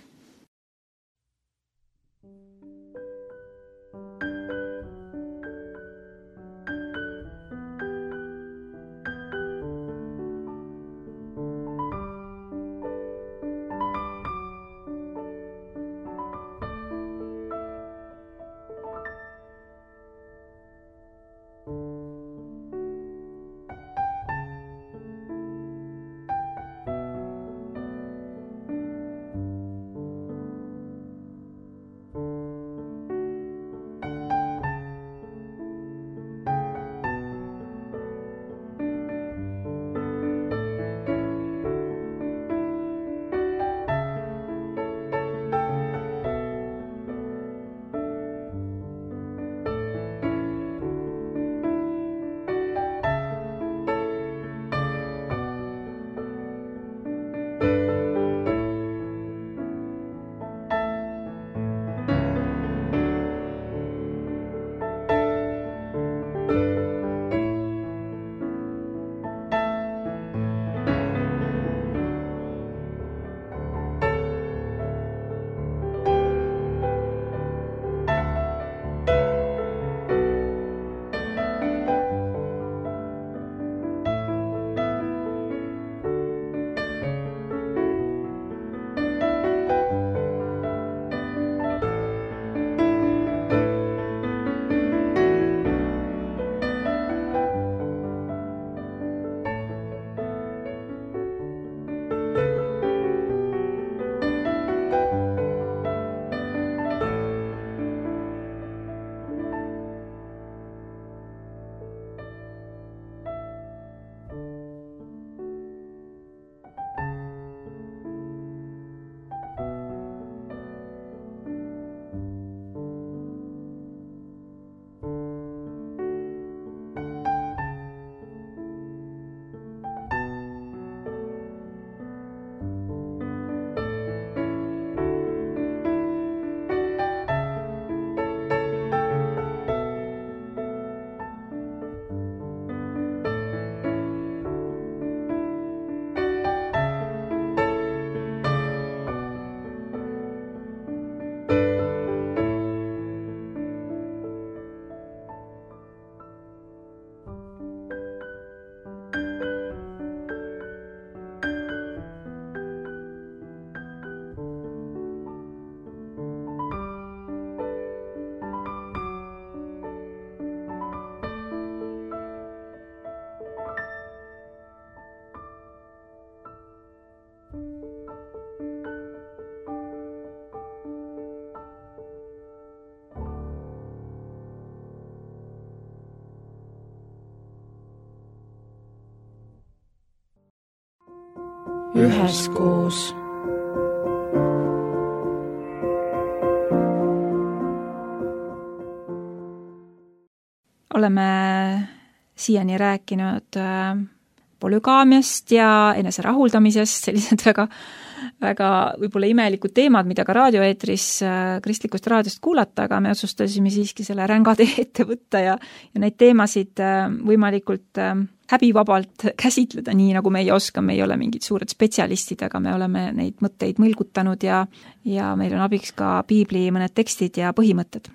üheskoos. Oleme siiani rääkinud polügaamiast ja enese rahuldamisest, sellised väga, väga võib-olla imelikud teemad, mida ka raadioeetris kristlikust raadiost kuulata, aga me otsustasime siiski selle ränga tee ette võtta ja, ja neid teemasid võimalikult häbivabalt käsitleda nii, nagu meie oskame, me ei ole mingid suured spetsialistid, aga me oleme neid mõtteid mõlgutanud ja, ja meil on abiks ka piibli mõned tekstid ja põhimõtted.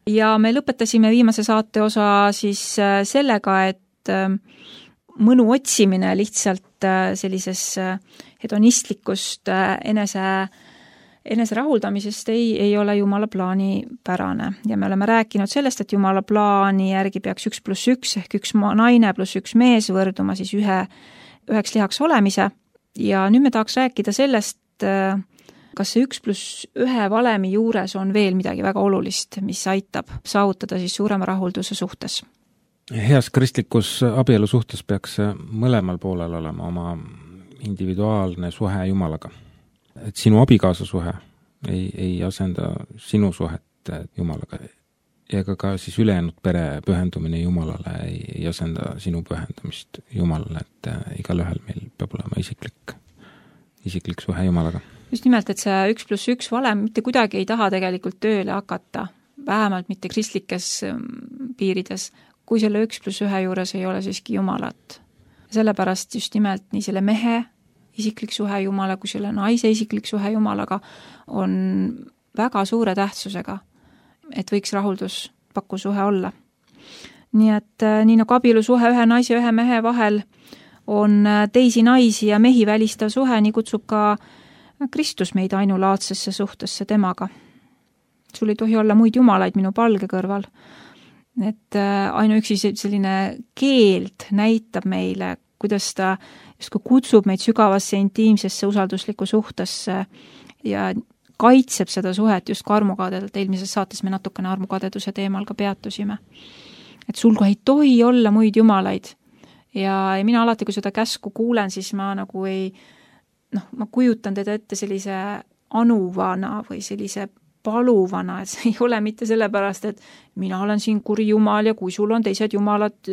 Ja me lõpetasime viimase saate osa siis sellega, et mõnu otsimine lihtsalt sellises hedonistlikust enese, enese rahuldamisest ei, ei ole Jumala plaani pärane. Ja me oleme rääkinud sellest, et Jumala plaani järgi peaks üks pluss üks ehk üks naine pluss üks mees võrduma siis ühe, üheks lihaks olemise. Ja nüüd me tahaks rääkida sellest, kas see üks pluss ühe valemi juures on veel midagi väga olulist, mis aitab saavutada siis suurema rahulduse suhtes. Heas kristlikus abielu suhtes peaks mõlemal poolel olema oma individuaalne suhe Jumalaga. Et sinu abikaasa suhe ei, ei asenda sinu suhet Jumalaga ja ka, ka siis ülejäänud pere pühendumine Jumalale ei, ei asenda sinu pühendumist Jumalale, et igal ühel meil peab olema isiklik, isiklik suhe Jumalaga. Just nimelt, et see üks pluss üks valem mitte kuidagi ei taha tegelikult tööle hakata, vähemalt mitte kristlikes piirides, kui selle üks pluss ühe juures ei ole siiski Jumalat. Sellepärast just nimelt nii selle mehe isiklik suhe Jumala kui selle naise isiklik suhe Jumalaga on väga suure tähtsusega, et võiks rahuldus pakku suhe olla. Nii et nii nagu abielu suhe ühe naise ja ühe mehe vahel on teisi naisi ja mehi välistav suhe, nii kutsub ka Kristus meid ainulaadsesse suhtesse temaga. Sul ei tohi olla muid jumalaid minu palge kõrval. Et ainuüksi selline keeld näitab meile, kuidas ta justkui kutsub meid sügavasse intiimsesse usalduslikku suhtesse ja kaitseb seda suhet just ka armukadedalt. Eelmises saates me natukene armukadeduse teemal ka peatusime. Et sul ei tohi olla muid jumalaid. Ja, ja mina alati, kui seda käsku kuulen, siis ma nagu ei noh, ma kujutan teda ette sellise anuvana või sellise paluvana, et see ei ole mitte sellepärast, et mina olen siin kuri jumal ja kui sul on teised jumalad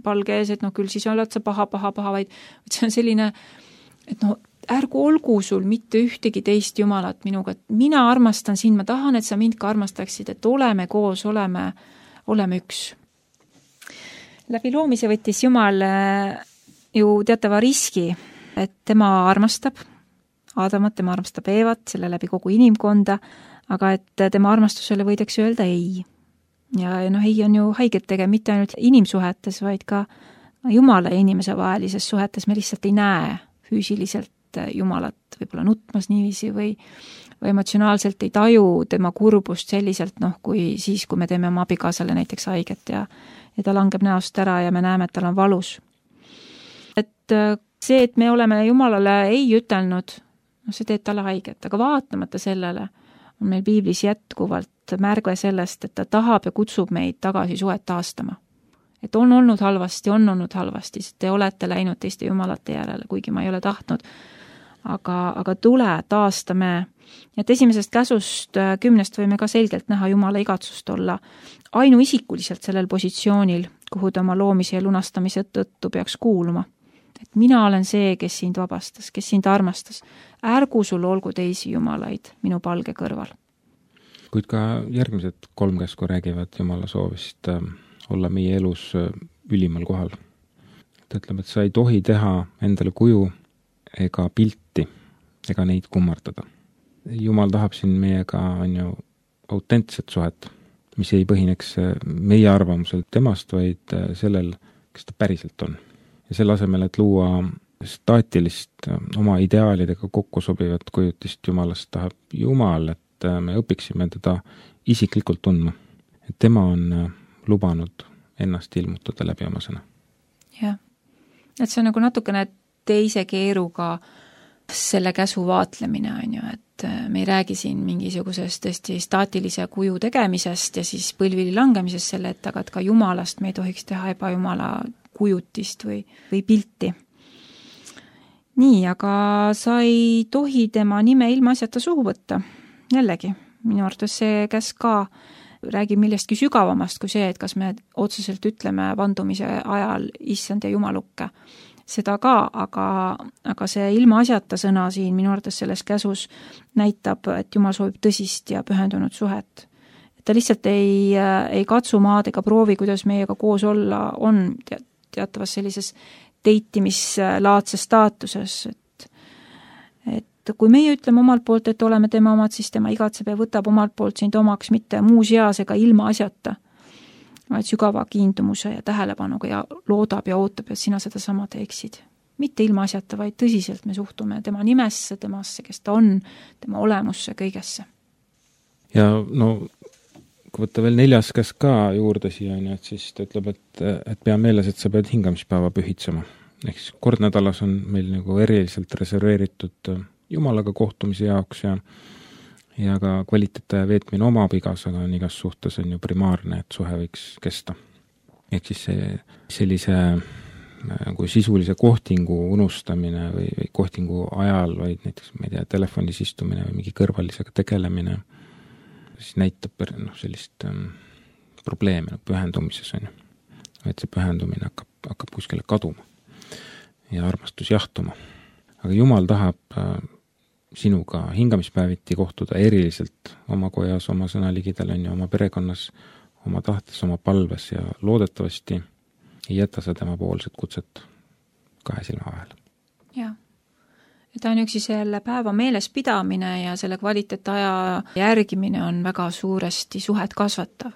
palge ees, et noh, küll siis oled sa paha, paha, paha, vaid see on selline, et noh, ärgu olgu sul mitte ühtegi teist jumalat minuga, et mina armastan sind, ma tahan, et sa mind ka armastaksid, et oleme koos, oleme, oleme üks. Läbi loomise võttis Jumal ju teatava riski, et tema armastab Aadamat, tema armastab Eevat, selle läbi kogu inimkonda, aga et tema armastusele võidakse öelda ei. Ja noh, ei on ju haiget tege mitte ainult inimsuhetes, vaid ka Jumala ja inimese vahelises suhetes me lihtsalt ei näe füüsiliselt Jumalat võib-olla nutmas niiviisi või, või emotsionaalselt ei taju tema kurbust selliselt, noh, kui siis, kui me teeme oma abikaasale näiteks haiget ja, ja ta langeb näost ära ja me näeme, et tal on valus. Et see, et me oleme Jumalale ei ütelnud, no see teeb talle haiget, aga vaatamata sellele on meil piiblis jätkuvalt märge sellest, et ta tahab ja kutsub meid tagasi suhet taastama. Et on olnud halvasti, on olnud halvasti, sest te olete läinud teiste jumalate järele, kuigi ma ei ole tahtnud, aga, aga tule, taastame. Et esimesest käsust kümnest võime ka selgelt näha Jumala igatsust olla ainuisikuliselt sellel positsioonil, kuhu ta oma loomise ja lunastamise tõttu peaks kuuluma. Et mina olen see, kes sind vabastas, kes sind armastas. Ärgu sul olgu teisi jumalaid minu palge kõrval. Kuid ka järgmised kolm käsku räägivad Jumala soovist olla meie elus ülimal kohal. Ta ütleb, et sa ei tohi teha endale kuju ega pilti ega neid kummardada. Jumal tahab siin meiega on ju autentset suhet, mis ei põhineks meie arvamusel temast, vaid sellel, kes ta päriselt on. Ja selle asemel, et luua staatilist oma ideaalidega kokku sobivat kujutist Jumalast, tahab Jumal, et me õpiksime teda isiklikult tundma. Et tema on lubanud ennast ilmutada läbi oma sõna. Jah, et see on nagu natukene teise keeruga selle käsu vaatlemine, on ju, et me ei räägi siin mingisugusest tõesti staatilise kuju tegemisest ja siis põlvili langemisest selle ette, aga et ka Jumalast me ei tohiks teha ebajumala kujutist või, või pilti. nii, aga sa ei tohi tema nime ilmaasjata suhu võtta. Jällegi, minu arvates see käsk ka räägib millestki sügavamast kui see, et kas me otseselt ütleme vandumise ajal issand ja jumalukke. Seda ka, aga, aga see ilmaasjata sõna siin minu arvates selles käsus näitab, et Jumal soovib tõsist ja pühendunud suhet. Ta lihtsalt ei, ei katsu maad ega proovi, kuidas meiega koos olla on teatavas sellises deitimislaadses staatuses, et, et kui meie ütleme omalt poolt, et oleme tema omad, siis tema igatseb ja võtab omalt poolt sind omaks mitte muus eas ega ilma asjata, vaid sügava kiindumuse ja tähelepanuga ja loodab ja ootab, et sina seda sama teeksid. Mitte ilma asjata, vaid tõsiselt me suhtume tema nimesse, temasse, kes ta on, tema olemusse, kõigesse. Ja no kui võtta veel neljas käsk ka juurde siia, et siis ta ütleb, et, et pea meeles, et sa pead hingamispäeva pühitsema. Ehk siis kord nädalas on meil nagu eriliselt reserveeritud Jumalaga kohtumise jaoks ja, ja ka kvaliteetaja veetmine oma abigas, aga on igas suhtes on ju primaarne, et suhe võiks kesta. Ehk siis see, sellise nagu sisulise kohtingu unustamine või, või kohtingu ajal, vaid näiteks, ma ei tea, telefonis istumine või mingi kõrvalisega tegelemine, siis näitab no, sellist ähm, probleeme no, pühendumises on ju. Et see pühendumine hakkab, hakkab kuskile kaduma ja armastus jahtuma. Aga Jumal tahab äh, sinuga hingamispäeviti kohtuda eriliselt oma kojas, oma sõnaligidel on ju, oma perekonnas, oma tahtes, oma palves ja loodetavasti ei jäta sa tema poolset kutset kahe silma vahel. Jah. Ja ta on üksi selle päeva meeles pidamine ja selle kvaliteetaja järgimine on väga suuresti suhet kasvatav.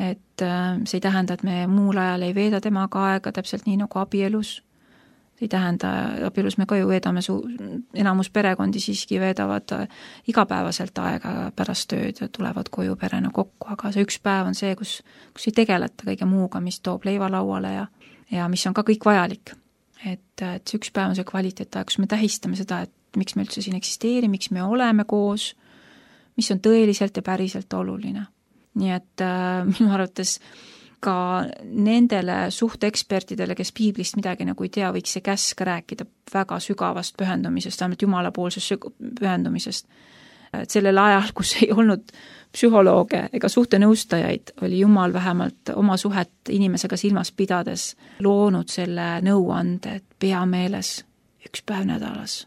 Et see ei tähenda, et me muul ajal ei veeda temaga aega täpselt nii nagu abielus. See ei tähenda, abielus me ka ju veedame, su, enamus perekondi siiski veedavad igapäevaselt aega pärast tööd ja tulevad koju perena kokku, aga see üks päev on see, kus, kus ei tegeleta kõige muuga, mis toob leiva lauale ja, ja mis on ka kõik vajalik. Et, et see üks päev on see kvaliteetaja, kus me tähistame seda, et miks me üldse siin eksisteeri, miks me oleme koos, mis on tõeliselt ja päriselt oluline. Nii et äh, minu arvates ka nendele suhteekspertidele, kes piiblist midagi nagu ei tea, võiks see käsk rääkida väga sügavast pühendumisest, vähemalt jumalapoolsest pühendumisest. Et sellel ajal, kus ei olnud psühholooge ega suhtenõustajaid, oli Jumal vähemalt oma suhet inimesega silmas pidades loonud selle nõuande, et pea meeles üks päev nädalas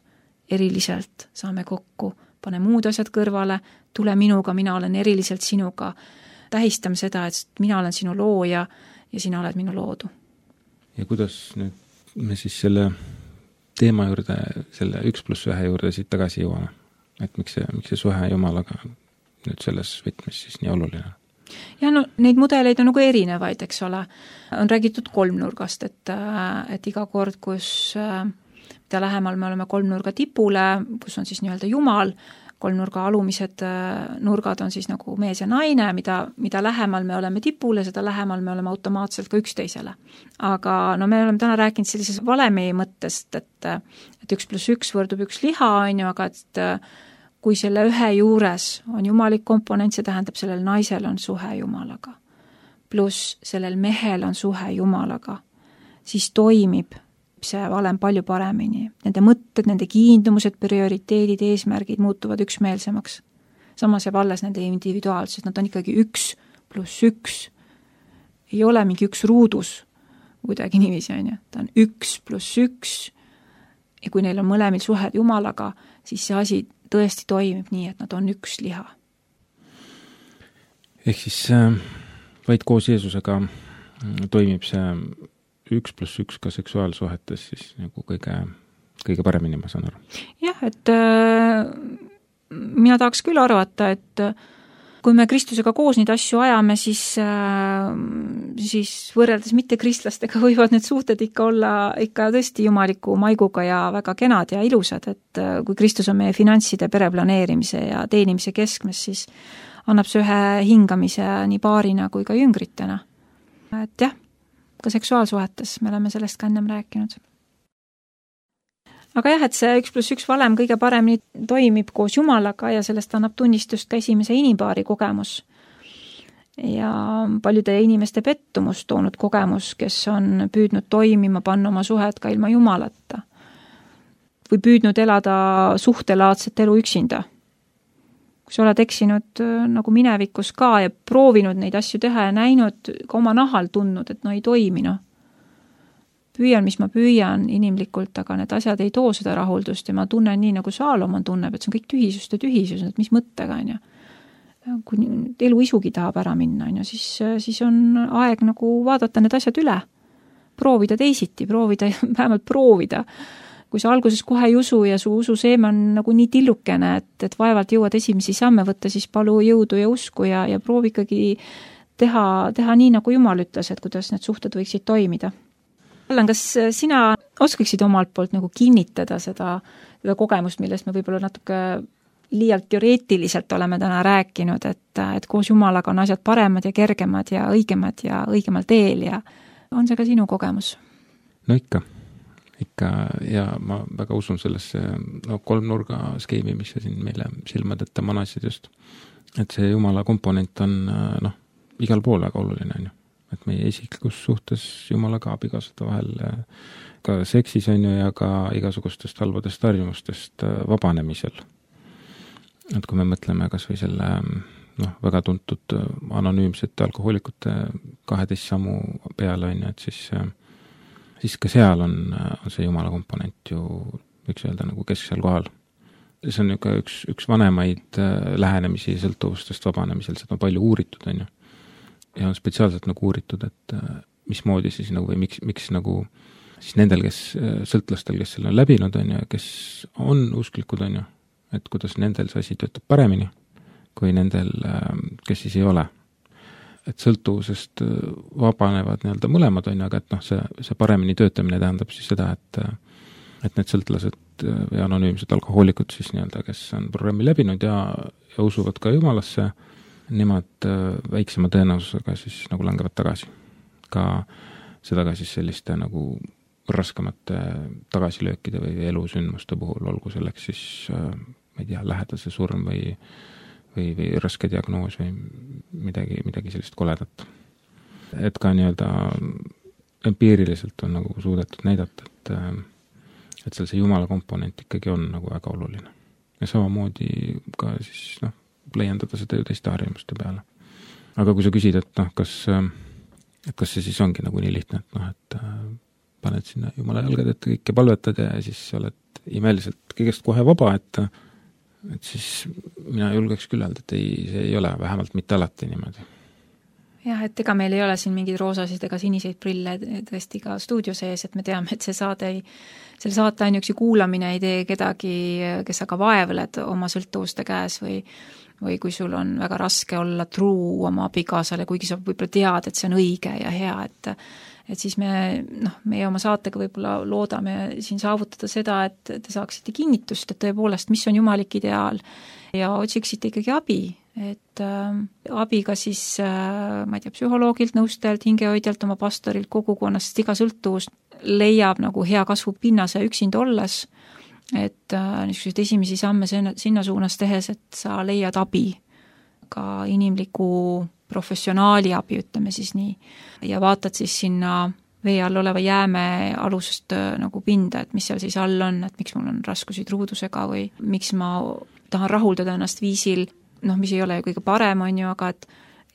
eriliselt saame kokku, pane muud asjad kõrvale, tule minuga, mina olen eriliselt sinuga, tähistame seda, et mina olen sinu looja ja sina oled minu loodu. Ja kuidas nüüd me siis selle teema juurde, selle üks pluss ühe juurde siit tagasi jõuame? Et miks see, miks see suhe Jumalaga nüüd selles võtmes siis nii oluline? Ja no neid mudeleid on nagu erinevaid, eks ole. On räägitud kolmnurgast, et, et iga kord, kus mida lähemal me oleme kolmnurga tipule, kus on siis nii-öelda Jumal, kolmnurga alumised nurgad on siis nagu mees ja naine, mida, mida lähemal me oleme tipule, seda lähemal me oleme automaatselt ka üksteisele. Aga no me oleme täna rääkinud sellises valemi mõttest, et, et üks pluss üks võrdub üks liha, on ju, aga et kui selle ühe juures on jumalik komponent, see tähendab, sellel naisel on suhe Jumalaga, pluss sellel mehel on suhe Jumalaga, siis toimib see valem palju paremini. Nende mõtted, nende kiindumused, prioriteedid, eesmärgid muutuvad üksmeelsemaks. Samas jääb alles nende individuaalsused, nad on ikkagi üks pluss üks. Ei ole mingi üks ruudus, kuidagi niiviisi on ju. Ta on üks pluss üks ja kui neil on mõlemil suhed Jumalaga, siis see asi tõesti toimib nii, et nad on üks liha. Ehk siis äh, vaid koos Jeesusega toimib see üks pluss üks ka seksuaalsuhetes siis nagu kõige, kõige paremini, ma saan aru. Jah, et äh, mina tahaks küll arvata, et kui me Kristusega koos neid asju ajame, siis, äh, siis võrreldes mitte kristlastega võivad need suhted ikka olla ikka tõesti jumaliku maiguga ja väga kenad ja ilusad, et äh, kui Kristus on meie finantside pereplaneerimise ja teenimise keskmes, siis annab see ühe hingamise nii paarina kui ka jüngritena. Et jah, ka seksuaalsuhetes me oleme sellest ka ennem rääkinud. Aga jah, et see üks pluss üks valem kõige paremini toimib koos Jumalaga ja sellest annab tunnistust ka esimese inimpaari kogemus. Ja paljude inimeste pettumust toonud kogemus, kes on püüdnud toimima panna oma suhet ka ilma Jumalata. või püüdnud elada suhtelaadset elu üksinda. Kui sa oled eksinud nagu minevikus ka ja proovinud neid asju teha ja näinud, ka oma nahal tundnud, et no ei toimi, noh. Püüan, mis ma püüan inimlikult, aga need asjad ei too seda rahuldust ja ma tunnen nii, nagu Saalomon tunneb, et see on kõik tühisust ja tühisus, et mis mõttega on ja kui elu isugi tahab ära minna, on ja siis, siis on aeg nagu vaadata need asjad üle, proovida teisiti, proovida, vähemalt proovida. Kui sa alguses kohe ei usu ja su ususeeme on nagu nii tillukene, et, et vaevalt jõuad esimesi samme võtta, siis palu jõudu ja usku ja, ja proovi ikkagi teha, teha nii, nagu Jumal ütles, et kuidas need suhted võiksid toimida. Allan, kas sina oskaksid omalt poolt nagu kinnitada seda, seda kogemust, millest me võib-olla natuke liialt teoreetiliselt oleme täna rääkinud, et, et koos Jumalaga on asjad paremad ja kergemad ja õigemad ja õigemal teel ja on see ka sinu kogemus? No ikka, ikka ja ma väga usun sellesse no, kolmnurga skeemi, mis sa siin meile silmad ette manasid just. Et see Jumala komponent on noh, igal pool väga oluline, on ju. Et meie isiklikus suhtes Jumalaga abikaasade vahel ka seksis on ju ja ka igasugustest halvadest harjumustest vabanemisel. Et kui me mõtleme kas või selle noh, väga tuntud anonüümsete alkohoolikute kaheteist sammu peale, on ju, et siis, siis ka seal on, on see Jumala komponent ju võiks öelda nagu kesksel kohal. See on ju ka üks, üks vanemaid lähenemisi sõltuvustest vabanemisel, seda on palju uuritud, on ju. Ja on spetsiaalselt nagu uuritud, et mismoodi siis nagu või miks, miks nagu siis nendel, kes sõltlastel, kes selle on läbinud, on ju, kes on usklikud, on ju, et kuidas nendel see asi töötab paremini kui nendel, kes siis ei ole. Et sõltuvusest vabanevad nii-öelda mõlemad on, aga et noh, see, see paremini töötamine tähendab siis seda, et, et need sõltlased või anonüümsed alkohoolikud siis nii-öelda, kes on programmi läbinud ja, ja usuvad ka Jumalasse, nemad väiksema tõenäosusega siis nagu langevad tagasi. Ka seda ka siis selliste nagu raskemate tagasilöökide või elusündmuste puhul, olgu selleks siis ma ei tea, lähedase surm või, või, või raske diagnoos või midagi, midagi sellist koledat. Et ka nii-öelda empiiriliselt on nagu suudetud näidata, et, et seal see Jumala komponent ikkagi on nagu väga oluline. Ja samamoodi ka siis noh, leiendada seda ju teiste harjumuste peale. Aga kui sa küsid, et noh, kas, et kas see siis ongi nagu nii lihtne, et noh, et paned sinna Jumala jalgad ette kõike palvetad ja siis oled imeliselt kõigest kohe vaba, et et siis mina julgeks küll öelda, et ei, see ei ole vähemalt mitte alati niimoodi. Jah, et ega meil ei ole siin mingeid roosasid ega siniseid prille tõesti ka stuudio sees, et me teame, et see saade ei, selle saate ainuüksi kuulamine ei tee kedagi, kes aga vaevled oma sõltuvuste käes või või kui sul on väga raske olla truu oma abikaasale, kuigi sa võib-olla tead, et see on õige ja hea, et et siis me, noh, meie oma saatega võib-olla loodame siin saavutada seda, et te saaksite kinnitust, et tõepoolest, mis on jumalik ideaal ja otsiksite ikkagi abi, et äh, abi ka siis, äh, ma ei tea, psühholoogilt, nõustajalt, hingehoidjalt, oma pastorilt, kogukonnast, iga sõltuvust leiab nagu hea kasvu pinnase üksinda olles, et äh, niisuguseid esimesi samme sinna, sinna suunas tehes, et sa leiad abi, ka inimliku professionaali abi, ütleme siis nii, ja vaatad siis sinna vee all oleva jääme alusest nagu pinda, et mis seal siis all on, et miks mul on raskusi truudusega või miks ma tahan rahuldada ennast viisil, noh, mis ei ole kõige parem, on ju, aga et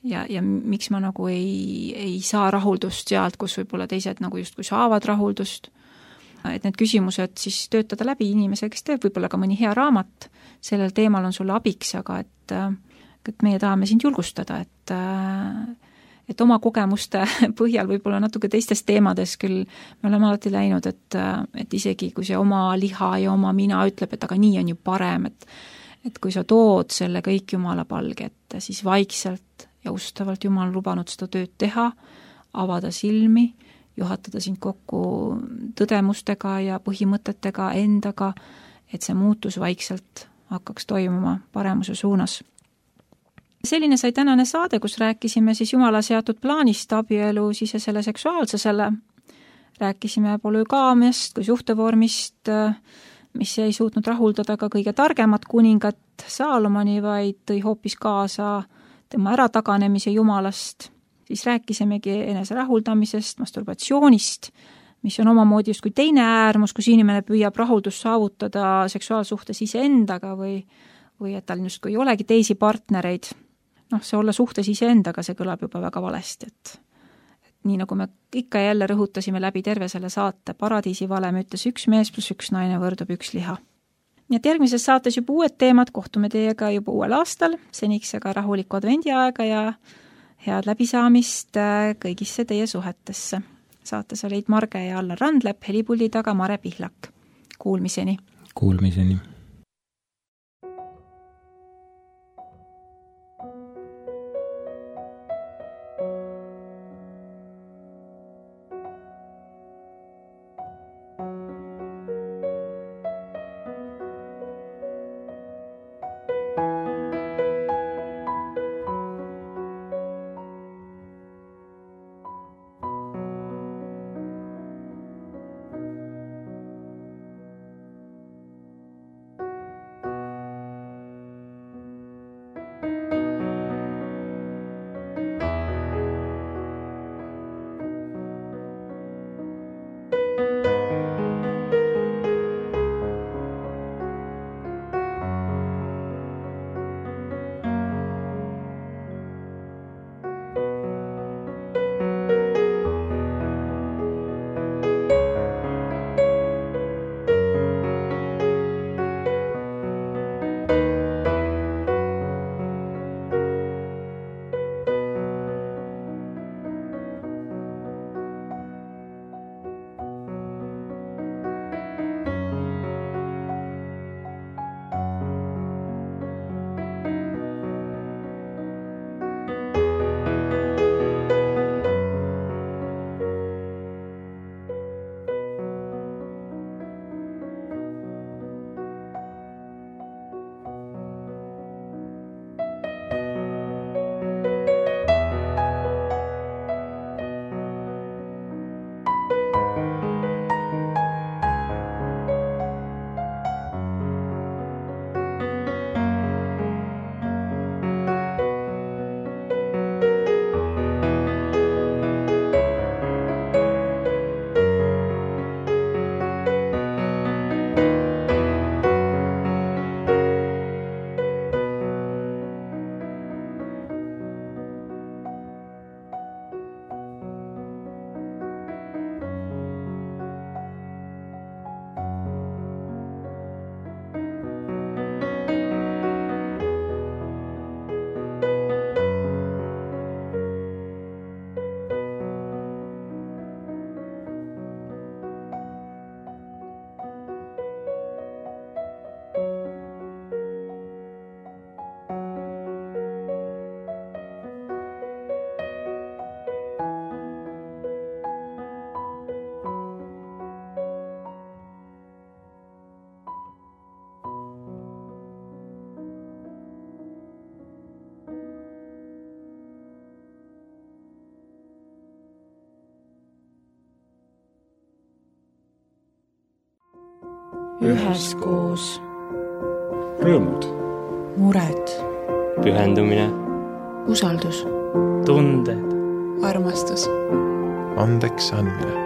ja, ja miks ma nagu ei, ei saa rahuldust sealt, kus võib-olla teised nagu justkui saavad rahuldust, et need küsimused siis töötada läbi inimese, kes teeb võib-olla ka mõni hea raamat, sellel teemal on sulle abiks, aga et et meie tahame sind julgustada, et, et oma kogemuste põhjal võib-olla natuke teistes teemades küll me oleme alati läinud, et, et isegi kui see oma liha ja oma mina ütleb, et aga nii on ju parem, et, et kui sa tood selle kõik Jumala palge ette, siis vaikselt ja ustavalt Jumal lubanud seda tööd teha, avada silmi, juhatada sind kokku tõdemustega ja põhimõtetega endaga, et see muutus vaikselt hakkaks toimuma paremuse suunas. Selline sai tänane saade, kus rääkisime siis Jumala seatud plaanist abielu sisesele seksuaalsusele. Rääkisime polügaamiast kui suhtevormist, mis ei suutnud rahuldada ka kõige targemat kuningat Saalomoni, vaid tõi hoopis kaasa tema ärataganemise Jumalast. Siis rääkisimegi enese rahuldamisest, masturbatsioonist, mis on omamoodi just kui teine äärmus, kus inimene püüab rahuldust saavutada seksuaalsuhtes iseendaga või, või et tal just kui ei olegi teisi partnereid. Noh, see olla suhtes iseendaga, see kõlab juba väga valesti, et, et nii nagu me ikka jälle rõhutasime läbi terve selle saate, paradiisi valem ütles üks mees pluss üks naine võrdub üks liha. Nii et järgmises saates juba uued teemad, kohtume teiega juba uuel aastal, seniks aga rahulikku advendiaega ja head läbisaamist kõigisse teie suhetesse. Saates olid Marge ja Allar Randlep, helipuldi taga Mare Pihlak. Kuulmiseni! Kuulmiseni! üheskoos. Rõõmud. Mured. Pühendumine. Usaldus. Tunded. Armastus. Andeks andmine.